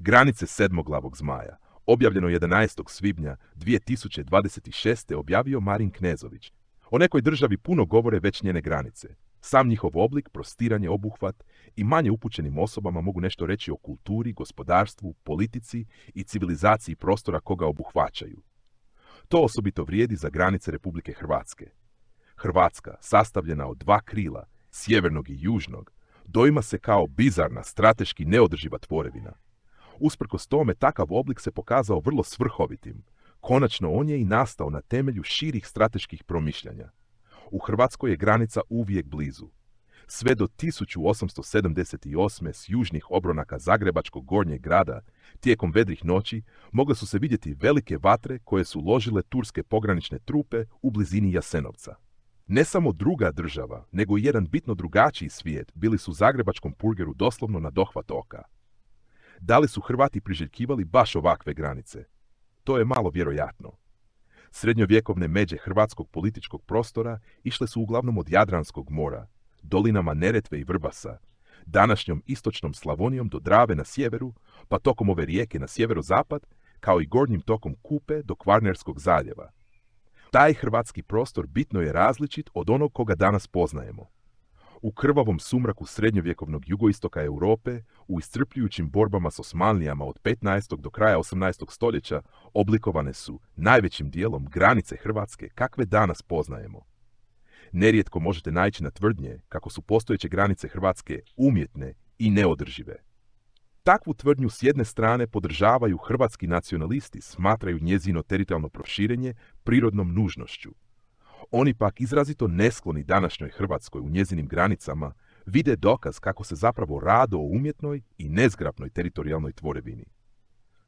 Granice sedmoglavog zmaja, objavljeno 11. svibnja 2026. objavio Marin Knezović. O nekoj državi puno govore već njene granice. Sam njihov oblik, prostiranje, obuhvat i manje upućenim osobama mogu nešto reći o kulturi, gospodarstvu, politici i civilizaciji prostora koga obuhvaćaju. To osobito vrijedi za granice Republike Hrvatske. Hrvatska, sastavljena od dva krila, sjevernog i južnog, doima se kao bizarna, strateški neodrživa tvorevina. Usprkos tome, takav oblik se pokazao vrlo svrhovitim. Konačno, on je i nastao na temelju širih strateških promišljanja. U Hrvatskoj je granica uvijek blizu. Sve do 1878. s južnih obronaka Zagrebačkog gornjeg grada, tijekom vedrih noći, mogle su se vidjeti velike vatre koje su ložile turske pogranične trupe u blizini Jasenovca. Ne samo druga država, nego i jedan bitno drugačiji svijet bili su zagrebačkom purgeru doslovno na dohvat oka. Da li su Hrvati priželjkivali baš ovakve granice? To je malo vjerojatno. Srednjovjekovne međe hrvatskog političkog prostora išle su uglavnom od Jadranskog mora, dolinama Neretve i Vrbasa, današnjom istočnom Slavonijom do Drave na sjeveru, pa tokom ove rijeke na sjeverozapad, kao i gornjim tokom Kupe do Kvarnerskog zaljeva. Taj hrvatski prostor bitno je različit od onog koga danas poznajemo. U krvavom sumraku srednjovjekovnog jugoistoka Europe, u iscrpljujućim borbama s Osmanlijama od 15. do kraja 18. stoljeća, oblikovane su, najvećim dijelom, granice Hrvatske kakve danas poznajemo. Nerijetko možete naići na tvrdnje kako su postojeće granice Hrvatske umjetne i neodržive. Takvu tvrdnju s jedne strane podržavaju hrvatski nacionalisti, smatraju njezino teritorijalno proširenje prirodnom nužnošću. Oni pak izrazito neskloni današnjoj Hrvatskoj u njezinim granicama vide dokaz kako se zapravo radi o umjetnoj i nezgrapnoj teritorijalnoj tvorevini.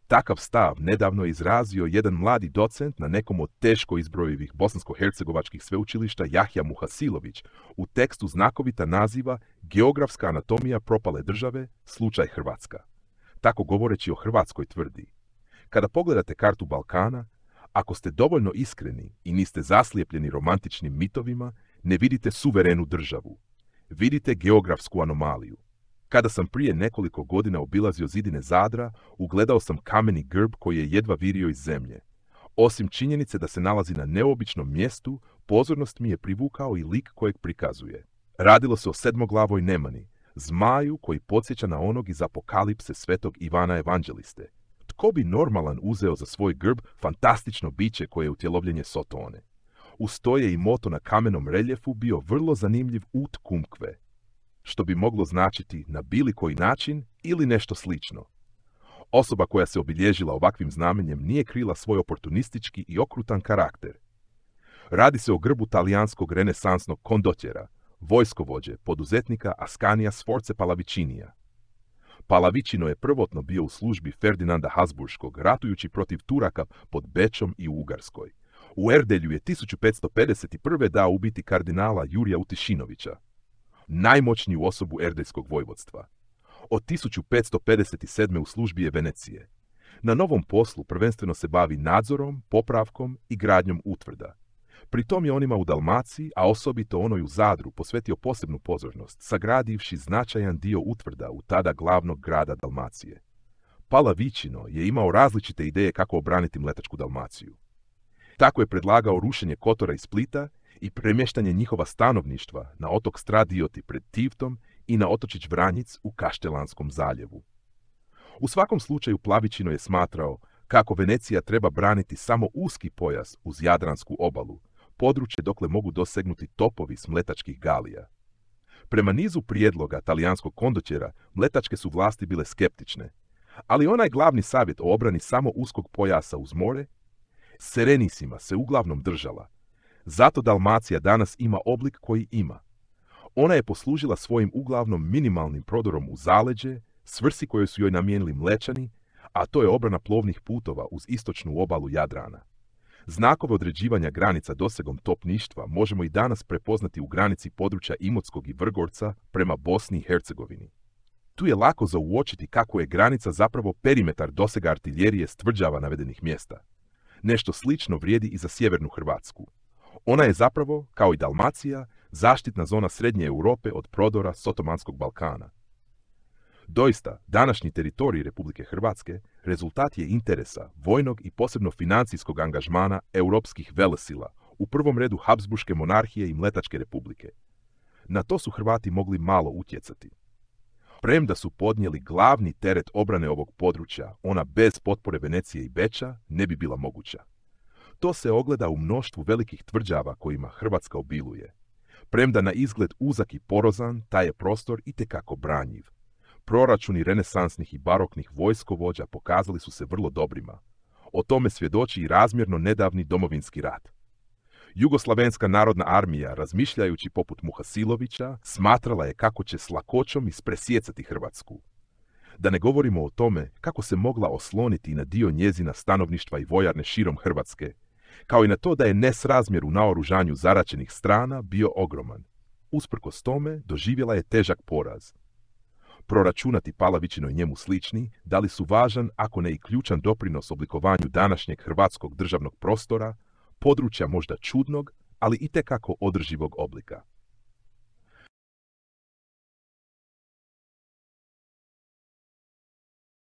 Takav stav nedavno je izrazio jedan mladi docent na nekom od teško izbrojivih bosansko-hercegovačkih sveučilišta Jahja Muhasilović u tekstu znakovita naziva Geografska anatomija propale države, slučaj Hrvatska. Tako govoreći o Hrvatskoj tvrdi: kada pogledate kartu Balkana, ako ste dovoljno iskreni i niste zaslijepljeni romantičnim mitovima, ne vidite suverenu državu. Vidite geografsku anomaliju. Kada sam prije nekoliko godina obilazio zidine Zadra, ugledao sam kameni grb koji je jedva virio iz zemlje. Osim činjenice da se nalazi na neobičnom mjestu, pozornost mi je privukao i lik kojeg prikazuje. Radilo se o sedmoglavoj nemani, zmaju koji podsjeća na onog iz Apokalipse svetog Ivana Evanđeliste. Tko bi normalan uzeo za svoj grb fantastično biće koje je utjelovljenje Sotone? Uz to je i moto na kamenom reljefu bio vrlo zanimljiv ut kumkve, što bi moglo značiti na bili koji način ili nešto slično. Osoba koja se obilježila ovakvim znamenjem nije krila svoj oportunistički i okrutan karakter. Radi se o grbu talijanskog renesansnog kondotjera, vojskovođe, poduzetnika Ascanija Sforze Pallavicinija. Pallavičino je prvotno bio u službi Ferdinanda Habsburškog, ratujući protiv Turaka pod Bečom i u Ugarskoj. U Erdelju je 1551. dao ubiti kardinala Jurija Utišinovića, najmoćniju osobu erdeljskog vojvodstva. Od 1557. u službi je Venecije. Na novom poslu prvenstveno se bavi nadzorom, popravkom i gradnjom utvrda. Pri tom je onima u Dalmaciji, a osobito onoj u Zadru, posvetio posebnu pozornost, sagradivši značajan dio utvrda u tada glavnog grada Dalmacije. Pallavičino je imao različite ideje kako obraniti Mletačku Dalmaciju. Tako je predlagao rušenje Kotora i Splita i premještanje njihova stanovništva na otok Stradioti pred Tivtom i na otočić Vranjic u Kaštelanskom zaljevu. U svakom slučaju Pallavičino je smatrao kako Venecija treba braniti samo uski pojas uz Jadransku obalu, područje dokle mogu dosegnuti topovi s mletačkih galija. Prema nizu prijedloga talijanskog kondotjera, mletačke su vlasti bile skeptične, ali onaj glavni savjet o obrani samo uskog pojasa uz more, Serenissima, se uglavnom držala. Zato Dalmacija danas ima oblik koji ima. Ona je poslužila svojim uglavnom minimalnim prodorom u zaleđe, svrsi koje su joj namijenili Mlečani, a to je obrana plovnih putova uz istočnu obalu Jadrana. Znakove određivanja granica dosegom topništva možemo i danas prepoznati u granici područja Imotskog i Vrgorca prema Bosni i Hercegovini. Tu je lako za uočiti kako je granica zapravo perimetar dosega artiljerije s tvrđava navedenih mjesta. Nešto slično vrijedi i za sjevernu Hrvatsku. Ona je zapravo, kao i Dalmacija, zaštitna zona srednje Europe od prodora s Otomanskog Balkana. Doista, današnji teritorij Republike Hrvatske rezultat je interesa, vojnog i posebno financijskog angažmana europskih velesila, u prvom redu Habsburške monarhije i Mletačke republike. Na to su Hrvati mogli malo utjecati. Premda su podnijeli glavni teret obrane ovog područja, ona bez potpore Venecije i Beča ne bi bila moguća. To se ogleda u mnoštvu velikih tvrđava kojima Hrvatska obiluje. Premda na izgled uzak i porozan, taj je prostor itekako branjiv. Proračuni renesansnih i baroknih vojskovođa pokazali su se vrlo dobrima. O tome svjedoči i razmjerno nedavni domovinski rat. Jugoslavenska narodna armija, razmišljajući poput Muhasilovića, smatrala je kako će s lakoćom ispresjecati Hrvatsku. Da ne govorimo o tome kako se mogla osloniti na dio njezina stanovništva i vojarne širom Hrvatske, kao i na to da je nesrazmjer u naoružanju zaraćenih strana bio ogroman. Usprkos tome, doživjela je težak poraz. Proračunati Palavićinoj njemu slični dali su važan, ako ne i ključan doprinos oblikovanju današnjeg hrvatskog državnog prostora, područja možda čudnog, ali itekako održivog oblika.